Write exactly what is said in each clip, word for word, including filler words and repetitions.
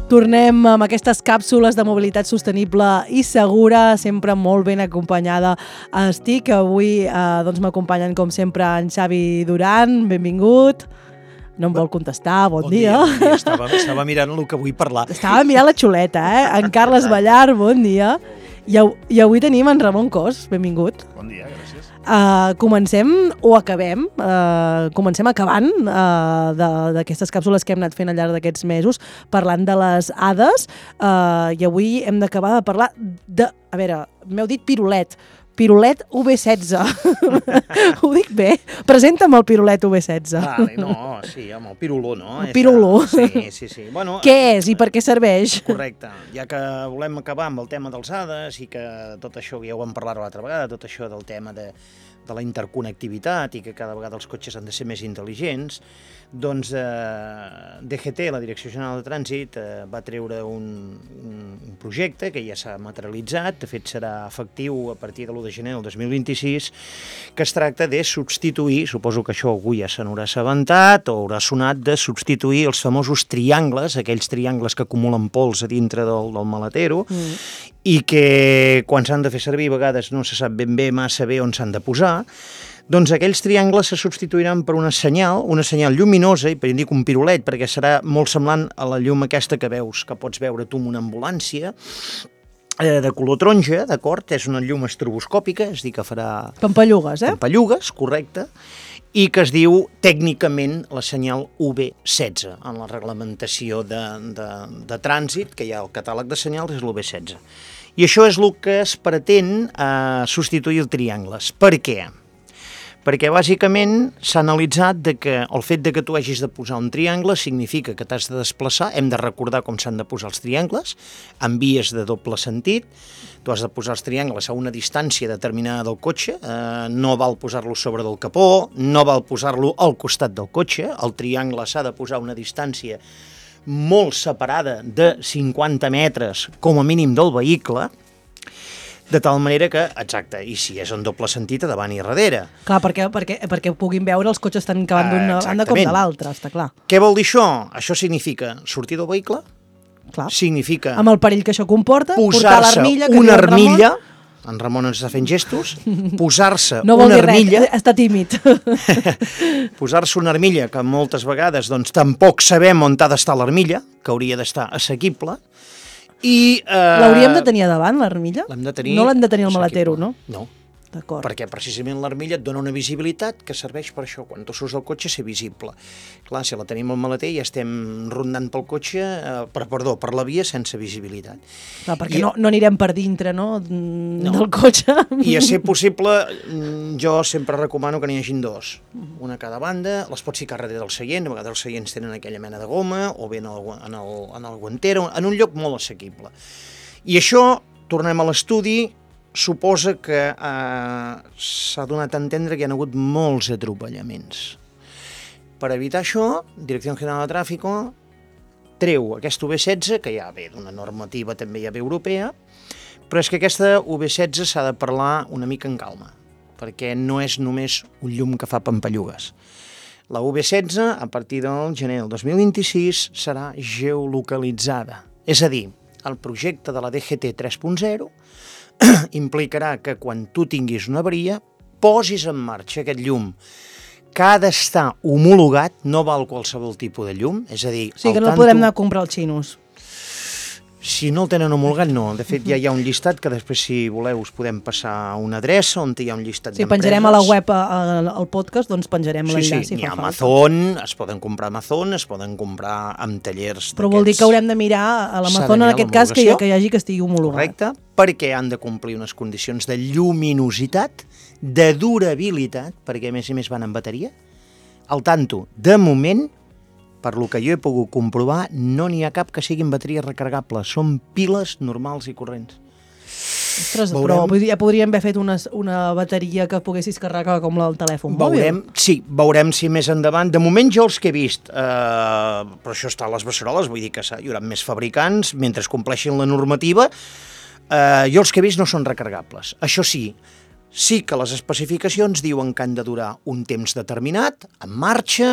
Tornem amb aquestes càpsules de mobilitat sostenible i segura, sempre molt ben acompanyada estic. Avui eh, doncs m'acompanyen, com sempre, en Xavi Duran. Benvingut. No em vol contestar, bon, bon dia. dia. Bon dia. Estava, estava mirant el que vull parlar. Estava mirant la xuleta, eh? En Carles Ballar, bon dia. I, I avui tenim en Ramon Cos, benvingut. Bon dia, gràcies. Uh, comencem o acabem, uh, comencem acabant uh, d'aquestes càpsules que hem anat fent al llarg d'aquests mesos, parlant de les Hades, uh, i avui hem d'acabar de parlar de... A veure, m'heu dit pirulet. Pirulet U V setze. Ho dic bé? Presenta'm el pirulet U V setze. Vale, no, sí, amb el piruló, no? El piruló. Sí, sí, sí. Bueno, què és i per què serveix? Correcte. Ja que volem acabar amb el tema dels Hades i que tot això, ja ho vam parlar l'altra vegada, tot això del tema de, de la interconnectivitat i que cada vegada els cotxes han de ser més intel·ligents, doncs eh, D G T, la Direcció General de Trànsit, eh, va treure un, un projecte que ja s'ha materialitzat, de fet serà efectiu a partir de l'u de gener del dos mil vint-i-sis, que es tracta de substituir, suposo que això algú ja se n'haurà assabentat o haurà sonat, de substituir els famosos triangles, aquells triangles que acumulen pols a dintre del, del maletero, mm. i que quan s'han de fer servir a vegades no se sap ben bé massa bé on s'han de posar. Doncs aquells triangles se substituiran per una senyal, una senyal lluminosa, i per dir un pirulet, perquè serà molt semblant a la llum aquesta que veus, que pots veure tu en una ambulància, eh, de color taronja, d'acord? És una llum estroboscòpica, és a dir, que farà... Pampallugues, eh? Pampallugues, correcte, i que es diu tècnicament la senyal U V setze, en la reglamentació de, de, de trànsit, que hi ha al catàleg de senyals, és l'U V setze. I això és el que es pretén eh, substituir els triangles. Per què? Perquè bàsicament s'ha analitzat de que el fet de que tu hagis de posar un triangle significa que t'has de desplaçar, hem de recordar com s'han de posar els triangles, en vies de doble sentit, tu has de posar els triangles a una distància determinada del cotxe, eh, no val posar-lo sobre del capó, no val posar-lo al costat del cotxe, el triangle s'ha de posar a una distància molt separada de cinquanta metres com a mínim del vehicle, de tal manera que, exacte, i si és en doble sentit, a davant i darrere. Clar, perquè, perquè, perquè puguin veure els cotxes estan acabant d'una banda com de l'altra, està clar. Què vol dir això? Això significa sortir del vehicle, clar. Significa... Amb el perill que això comporta, portar l'armilla... Posar-se una armilla, en Ramon ens està fent gestos, posar-se no una armilla... No vol dir res, està tímid. Posar-se una armilla, que moltes vegades doncs, tampoc sabem on ha d'estar l'armilla, que hauria d'estar assequible, i... Eh, l'hauríem de tenir a davant, l'armilla? L'hem de tenir... No l'hem de tenir al maletero, no? No. D'acord. Perquè precisament l'armilla et dona una visibilitat que serveix per això, quan tu surts del cotxe, ser visible. Clar, si la tenim al maleter ja estem rondant pel cotxe, eh, per, perdó, per la via sense visibilitat. Clar, perquè I, no, no anirem per dintre, no?, no, del cotxe. I a ser possible, jo sempre recomano que n'hi hagin dos, una a cada banda, les pots ficar darrere del seient, a vegades els seients tenen aquella mena de goma, o bé en el, en el, en el guantero, en un lloc molt assequible. I això, tornem a l'estudi, suposa que eh, s'ha donat a entendre que hi ha hagut molts atropellaments. Per evitar això, Direcció General de Tràfico treu aquest U V setze, que ja ve d'una normativa també ja ve europea, però és que aquesta U V setze s'ha de parlar una mica en calma, perquè no és només un llum que fa pampallugues. La U V setze, a partir del gener del dos mil vint-i-sis, serà geolocalitzada. És a dir, el projecte de la D G T tres punt zero implicarà que quan tu tinguis una avaria posis en marxa aquest llum que ha d'estar homologat, no val qualsevol tipus de llum, és a dir... O sigui que no el podem anar a comprar als xinos. Si no el tenen homologat, no. De fet, ja hi ha un llistat que després, si voleu, us podem passar a una adreça on hi ha un llistat sí, d'empreses. Sí, penjarem a la web, al podcast, doncs penjarem sí, l'enllaç. Sí, si n'hi ha fa Amazon, falta. Es poden comprar a Amazon, es poden comprar amb tallers... Però vol dir que haurem de mirar a l'Amazon, en aquest cas, que hi, que hi hagi que estigui homologat. Correcte, perquè han de complir unes condicions de lluminositat, de durabilitat, perquè a més a més van en bateria. Al tanto, de moment, per lo que jo he pogut comprovar, no n'hi ha cap que siguin bateries recarregables, són piles normals i corrents. Ostres, veurem... però ja podríem haver fet una, una bateria que poguessis carregar com la del telèfon veurem, mòbil. Sí, veurem si més endavant. De moment jo els que he vist, eh, però això està a les beceroles, vull dir que hi haurà més fabricants, mentre es compleixin la normativa, eh, jo els que he vist no són recarregables. Això sí, sí que les especificacions diuen que han de durar un temps determinat, en marxa,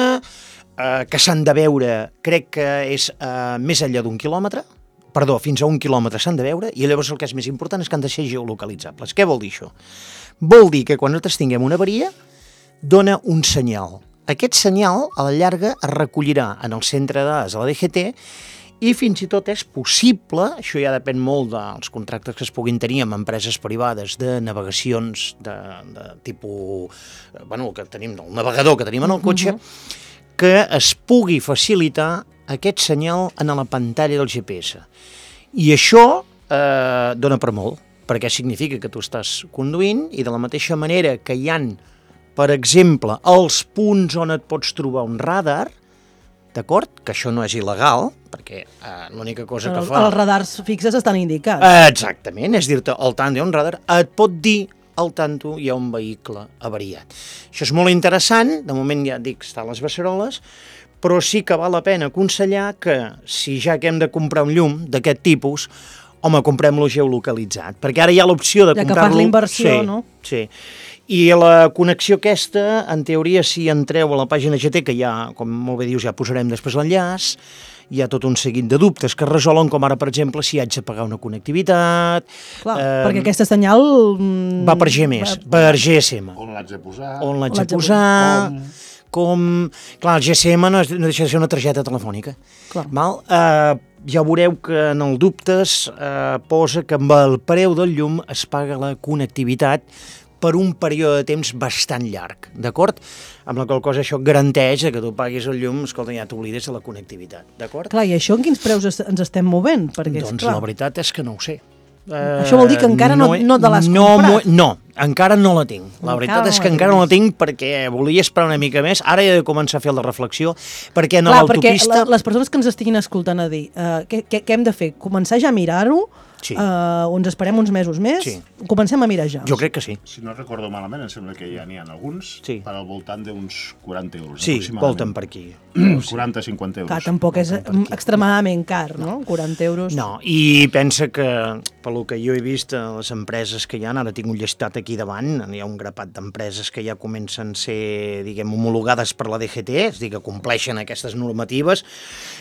eh, que s'han de veure, crec que és eh, més enllà d'un quilòmetre, perdó, fins a un quilòmetre s'han de veure, i llavors el que és més important és que han de ser geolocalitzables. Què vol dir això? Vol dir que quan nosaltres tinguem una avaria, dona un senyal. Aquest senyal, a la llarga, es recollirà en el centre de dades de la D G T i fins i tot és possible, això ja depèn molt dels contractes que es puguin tenir amb empreses privades de navegacions de, de tipus, bueno, que tenim, el navegador que tenim en el cotxe, uh-huh. que es pugui facilitar aquest senyal en la pantalla del G P S. I això eh, dona per molt, perquè significa que tu estàs conduint i de la mateixa manera que hi han, per exemple, els punts on et pots trobar un radar, d'acord? Que això no és il·legal, perquè eh, l'única cosa que el, fa... Els radars fixes estan indicats. Exactament, és dir-te, al tanto hi ha un radar, et pot dir al tanto hi ha un vehicle avariat. Això és molt interessant, de moment ja dic, està a les beceroles, però sí que val la pena aconsellar que si ja que hem de comprar un llum d'aquest tipus, home, comprem-lo geolocalitzat, perquè ara hi ha l'opció de ja comprar-lo... Ja que fas la inversió, sí, no? Sí, i la connexió aquesta, en teoria, si entreu a la pàgina G T, que ja, com molt bé dius, ja posarem després l'enllaç, hi ha tot un seguit de dubtes que es resolen, com ara, per exemple, si haig de pagar una connectivitat... Clar, eh, perquè aquesta senyal... Va per G més, va... per G S M. On l'haig de posar? On l'haig de posar... Com... com... Clar, el G S M no, és, no deixa de ser una targeta telefònica. Clar. Mal? Eh, ja veureu que en el dubtes eh, posa que amb el preu del llum es paga la connectivitat per un període de temps bastant llarg, d'acord? Amb la qual cosa això garanteix que tu paguis el llum, escolta, ja t'oblides de la connectivitat, d'acord? Clar, i això en quins preus es, ens estem movent? Perquè, doncs clar, la veritat és que no ho sé. Uh, això vol dir que encara no, no te l'has no, comprat? No, encara no la tinc. La Encara veritat no és la que encara tens. no la tinc perquè volia esperar una mica més. Ara he de començar a fer la reflexió, perquè en Clar, perquè l'autopista... la, les persones que ens estiguin escoltant a dir, uh, què, què, què hem de fer? Començar ja a mirar-ho? Sí. Uh, o ens esperem uns mesos més? Sí. Comencem a mirar ja. Jo crec que sí. Si no recordo malament, em sembla que ja n'hi ha alguns Sí. per al voltant d'uns quaranta euros. Sí, aproximadament. volten per aquí. quaranta a cinquanta euros. Clar, tampoc és per aquí. extremadament car, no? quaranta euros. No, i pensa que, pel que jo he vist, a les empreses que hi ha, ara tinc un llistat aquí davant, hi ha un grapat d'empreses que ja comencen a ser, diguem, homologades per la D G T, és a dir, que compleixen aquestes normatives,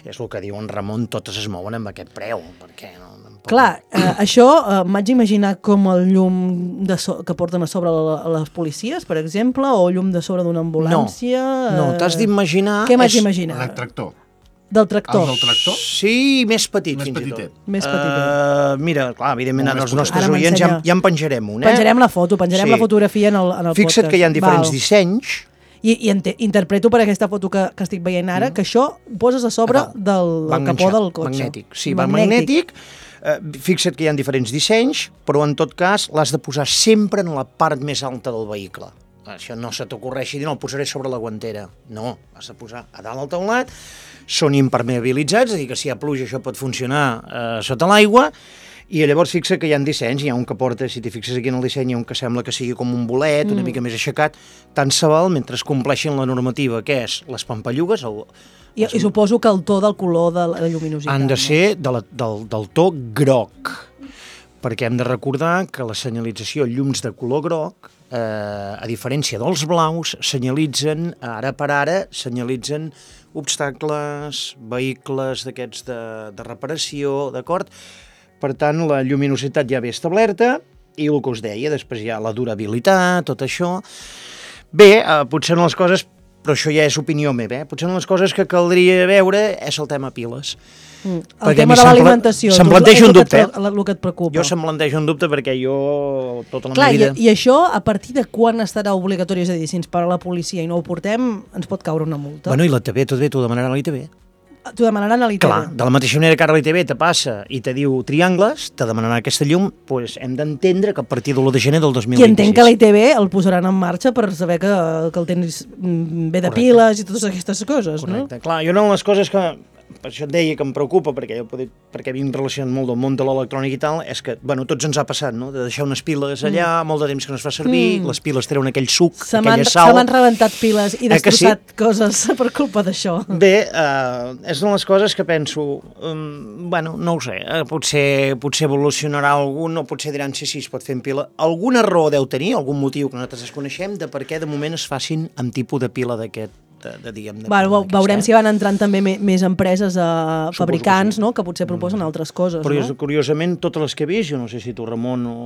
és el que diu en Ramon, totes es mouen amb aquest preu, perquè no... Clar, eh, això eh, m'haig d'imaginar com el llum de so que porten a sobre la, a les policies, per exemple, o llum de sobre d'una ambulància... No, no t'has d'imaginar... Què m'haig és- d'imaginar? El tractor. Del tractor. El del tractor? Sí, més petit, Més fins petitet. i tot. Més petitet. Uh, mira, clar, evidentment, Molt ara més els potent. nostres Ara oients ja, m'ensenya. ja en penjarem un, eh? Penjarem la foto, penjarem Sí. la fotografia en el, en el Fixa't podcast. que hi ha diferents Val. dissenys. I, i ente, interpreto per aquesta foto que, que estic veient ara mm. que això ho poses a sobre Ah, del, va del capó enganxat, del cotxe. Magnètic, sí, va magnètic. Eh, fixa't que hi ha diferents dissenys, però en tot cas l'has de posar sempre en la part més alta del vehicle. Això no se t'ocorreixi dir, no, el posaré sobre la guantera. No, has de posar a dalt al teulat, són impermeabilitzats, és a dir, que si hi ha pluja això pot funcionar eh, sota l'aigua, i llavors fixa que hi ha dissenys, hi ha un que porta, si t'hi fixes aquí en el disseny, hi ha un que sembla que sigui com un bolet, mm. una mica més aixecat, tant se val mentre es compleixin la normativa, que és les pampallugues, el, I, I suposo que el to del color de la lluminositat. han de no? ser de la, del, del to groc, perquè hem de recordar que la senyalització llums de color groc, eh, a diferència dels blaus, senyalitzen, ara per ara, senyalitzen obstacles, vehicles d'aquests de, de reparació, d'acord? Per tant, la lluminositat ja ve establerta, i el que us deia, després hi ha la durabilitat, tot això. Bé, eh, potser no les coses, però això ja és opinió meva, eh? Potser una de les coses que caldria veure és el tema piles. Mm. El Perquè tema a mi de se'm pla- l'alimentació. se'm tu, planteja és un el que dubte, et, el, el que et preocupa. Jo se'm planteja un dubte perquè jo, tota la Clar, meva vida... i, i això, a partir de quan estarà obligatori? És a dir, si ens para la policia i no ho portem, ens pot caure una multa. Bueno, i la T V, tot bé, t'ho demanaran a l'I T V. T'ho demanaran a l'I T V. Clar, de la mateixa manera que ara l'I T V te passa i te diu triangles, te demanaran aquesta llum, doncs hem d'entendre que a partir de l'u de gener del dos mil I vint-i-sis... entenc que l'I T V el posaran en marxa per saber que, que el tens mm, bé de Correcte. piles i totes aquestes coses, Correcte. Clar, jo una de les coses que, per això et deia que em preocupa, perquè jo poder, perquè vinc relacionat molt del món de l'electrònic i tal, és que, bueno, tots ens ha passat, no?, de deixar unes piles allà, mm. molt de temps que no es fa servir, mm. les piles treuen aquell suc, Se m'han aquella se sal... m'han rebentat piles i Eh que sí? destrossat coses per culpa d'això. Bé, eh, és una de les coses que penso, um, bueno, no ho sé, eh, potser, potser evolucionarà algun, o potser diran sí, sí, es pot fer en pila. Alguna raó deu tenir, algun motiu que nosaltres desconeixem, de per què de moment es facin amb tipus de pila d'aquest de, de, diguem, de, bueno, d'aquesta, veurem eh? si van entrant també me, més empreses, eh, fabricants, que, sí. no? que potser proposen mm. altres coses. Però no? curiosament, totes les que he vist, jo no sé si tu, Ramon, o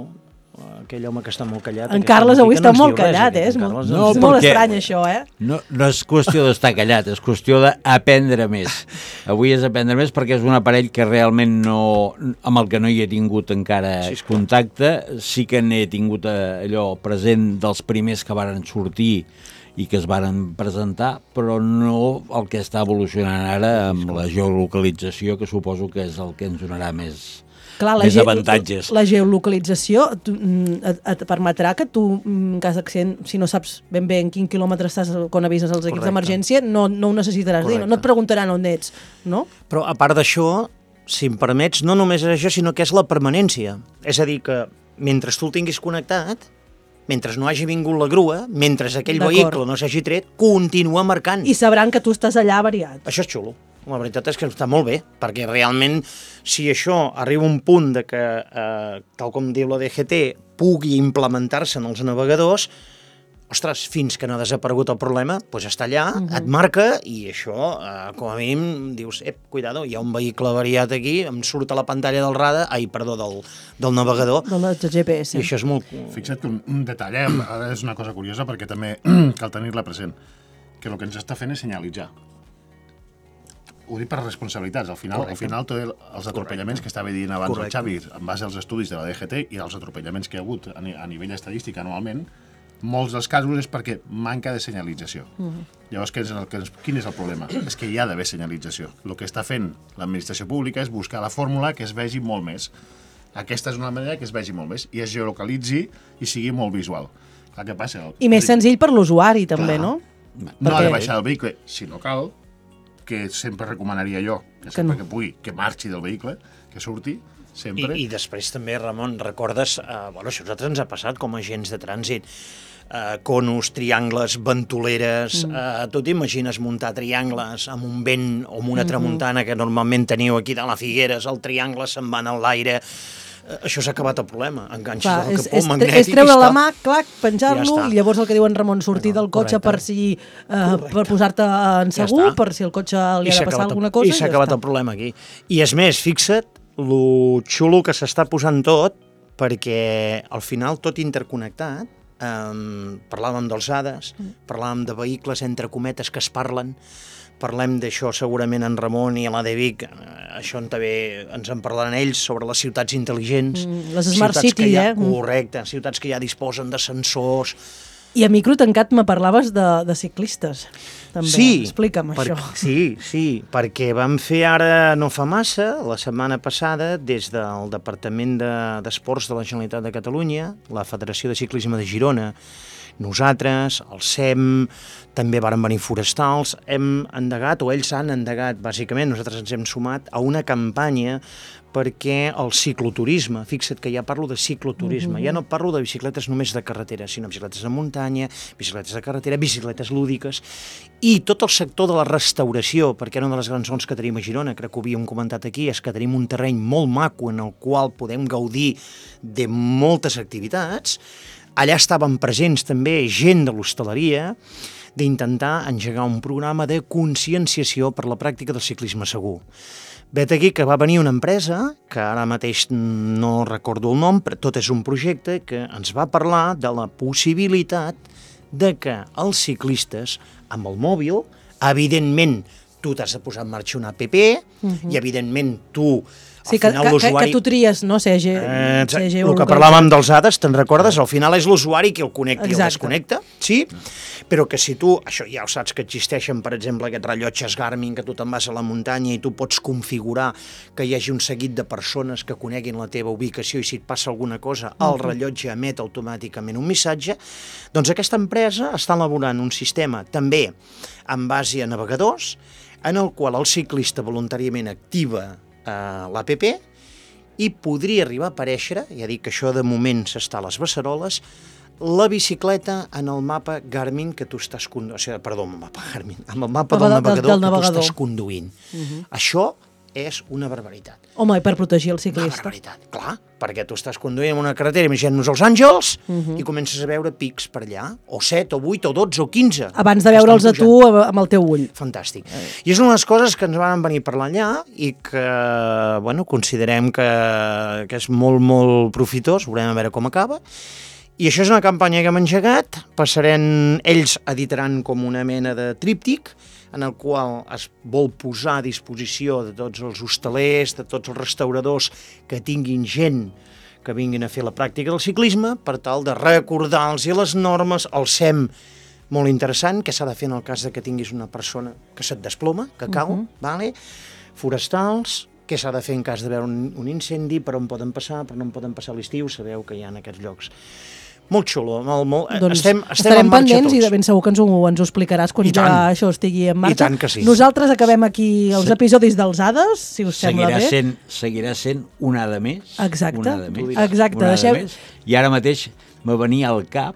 aquell home que està molt callat... En Carles avui està molt callat, eh? És molt, no, és molt estrany, això, eh? No, no és qüestió d'estar callat, és qüestió d'aprendre més. Avui és aprendre més perquè és un aparell que realment no... amb el que no hi he tingut encara sí, contacte. Sí que n'he tingut allò present dels primers que varen sortir i que es varen presentar, però no el que està evolucionant ara amb la geolocalització, que suposo que és el que ens donarà més... Clar, més ge avantatges. La geolocalització tu, et, et permetrà que tu, en cas d'accident, si no saps ben bé en quin quilòmetre estàs quan avises els equips d'emergència, no, no ho necessitaràs Correcte. dir, no, no et preguntaran on ets, no? Però a part d'això, si em permets, no només és això, sinó que és la permanència. És a dir, que mentre tu el tinguis connectat, mentre no hagi vingut la grua, mentre aquell vehicle no s'hagi tret, continua marcant. I sabran que tu estàs allà avariat. Això és xulo. La veritat és que està molt bé, perquè realment si això arriba a un punt de que, eh, tal com diu la D G T, pugui implementar-se en els navegadors, ostres, fins que no ha desaparegut el problema, doncs està allà, uh-huh. et marca, i això, eh, com a mínim, dius, ep, cuidado, hi ha un vehicle avariat aquí, em surt a la pantalla del radar, ai, perdó, del, del navegador. Del G P S. I això és molt... Fixa't que un, un detall, eh? Ara és una cosa curiosa, perquè també cal tenir-la present, que el que ens està fent és senyalitzar. Ho dic per responsabilitats. Al final, al final tots els atropellaments Correcte. que estava dient abans Correcte. el Xavi, en base als estudis de la D G T i als atropellaments que hi ha hagut a, a nivell estadístic anualment, molts dels casos és perquè manca de senyalització. Uh-huh. Llavors, què és el, quin és el problema? És que hi ha d'haver senyalització. El que està fent l'administració pública és buscar la fórmula que es vegi molt més. Aquesta és una manera que es vegi molt més i es geolocalitzi i sigui molt visual. Clar, què passa? El, I més el... senzill per l'usuari, també, Clar. no? No perquè... ha de baixar el vehicle, si no cal, que sempre recomanaria jo, que sempre que, no. que pugui, que marxi del vehicle, que surti, sempre... I, i després també, Ramon, recordes, eh, bueno, això a nosaltres ens ha passat com a agents de trànsit, eh, conos, triangles, ventoleres, mm. eh, tu t'imagines muntar triangles amb un vent o amb una tramuntana que normalment teniu aquí de la Figueres, el triangle se'n va en l'aire... Això s'ha acabat el problema, enganxes Clar, el capó és, magnètic... És treure la mà, clac, penjar-lo, ja i llavors el que diuen Ramon, sortir no, del cotxe correcte. per si eh, per posar-te en segur, ja per si el cotxe li I ha de passar alguna cosa. I s'ha acabat ja el problema aquí. I és més, fixa't, lo xulo que s'està posant tot, perquè al final tot interconnectat, eh, parlàvem dels A D As, mm. parlàvem de vehicles entre cometes que es parlen, parlem d'això segurament en Ramon i a l'A D Vic, això també ens en parlaran ells sobre les ciutats intel·ligents. Mm, les Smart City, ha, eh? Correcte, ciutats que ja disposen de sensors. I a micro tancat me parlaves de, de ciclistes, també. Sí, explica'm per, això. Sí, sí, perquè vam fer ara no fa massa, la setmana passada, des del Departament d'Esports de, de la Generalitat de Catalunya, la Federació de Ciclisme de Girona, nosaltres, el S E M, també varen venir forestals, hem endegat, o ells han endegat, bàsicament, nosaltres ens hem sumat a una campanya perquè el cicloturisme, fixa't que ja parlo de cicloturisme, mm-hmm. ja no parlo de bicicletes només de carretera, sinó bicicletes de muntanya, bicicletes de carretera, bicicletes lúdiques, i tot el sector de la restauració, perquè una de les grans zones que tenim a Girona, crec que ho havíem comentat aquí, és que tenim un terreny molt maco en el qual podem gaudir de moltes activitats. Allà estaven presents també gent de l'hostaleria d'intentar engegar un programa de conscienciació per la pràctica del ciclisme segur. Vet aquí que va venir una empresa, que ara mateix no recordo el nom, però tot és un projecte que ens va parlar de la possibilitat de que els ciclistes, amb el mòbil, evidentment, tu t'has de posar en marxa una app uh-huh. i evidentment tu... Sí, que, que, que tu tries, no? C G, eh, C G el que parlàvem dels A D As, te'n recordes? Al final és l'usuari qui el connecta i el desconnecta, sí? Però que si tu, això ja ho saps que existeixen, per exemple, aquests rellotges Garmin, que tu te'n vas a la muntanya i tu pots configurar que hi hagi un seguit de persones que coneguin la teva ubicació i si et passa alguna cosa, el rellotge emet automàticament un missatge, doncs aquesta empresa està elaborant un sistema també en base a navegadors, en el qual el ciclista voluntàriament activa l'app i podria arribar a aparèixer, ja dic que això de moment s'està a les beceroles, la bicicleta en el mapa Garmin que tu estàs conduint, o sigui, perdó, el mapa Garmin, amb el mapa del, del navegador, del, del navegador que tu estàs conduint. Uh-huh. Això és una barbaritat. Home, i per protegir el Una ciclista. barbaritat, clar, perquè tu estàs conduint en una carretera, imaginem-nos els Àngels, uh-huh. i comences a veure pics per allà, o set, o vuit, o dotze, o quinze. Abans de veure'ls a tu amb el teu ull. Fantàstic. I és una de les coses que ens van venir per allà i que, bueno, considerem que, que és molt, molt profitós, veurem a veure com acaba. I això és una campanya que hem engegat, passarem, ells editaran com una mena de tríptic, en el qual es vol posar a disposició de tots els hostalers, de tots els restauradors que tinguin gent que vinguin a fer la pràctica del ciclisme, per tal de recordar-los les normes, el S E M, molt interessant, que s'ha de fer en el cas de que tinguis una persona que se't desploma, que cau, uh-huh. vale? Forestals, què s'ha de fer en cas de veure un, un incendi, per on poden passar, per on no poden passar a l'estiu, sabeu que hi ha en aquests llocs. Molt xulo, molt, molt. Doncs estem, estem estarem en marxa pendents tots. i de ben segur que ens ho, ens ho explicaràs quan I ja tant. això estigui en marxa. I tant que sí. Nosaltres acabem aquí els Se- episodis dels Hades, si us sembla Seguirà bé. sent, seguirà sent una de més. Exacte. Una de més, Exacte, una de deixem- més. I ara mateix me venia al cap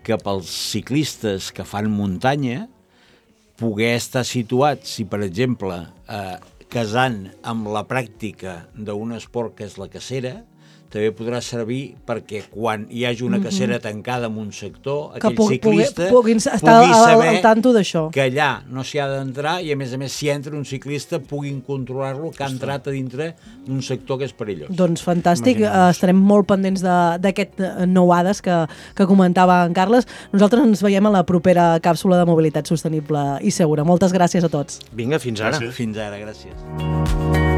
que pels ciclistes que fan muntanya poder estar situats, si per exemple eh, casant amb la pràctica d'un esport que és la cacera, també podrà servir perquè quan hi hagi una cacera tancada en un sector, Que aquell pugui- ciclista pugui- puguin estar pugui al- saber al tanto d'això. que allà no s'hi ha d'entrar i a més a més si entra un ciclista puguin controlar-lo que ha entrat a dintre d'un sector que és perillós. Doncs fantàstic, Imaginem-nos. uh, estarem molt pendents de- d'aquest uh, nou Hades que, que comentava en Carles. Nosaltres ens veiem a la propera càpsula de mobilitat sostenible i segura. Moltes gràcies a tots. Vinga, fins ara. Gràcies. Fins ara, gràcies.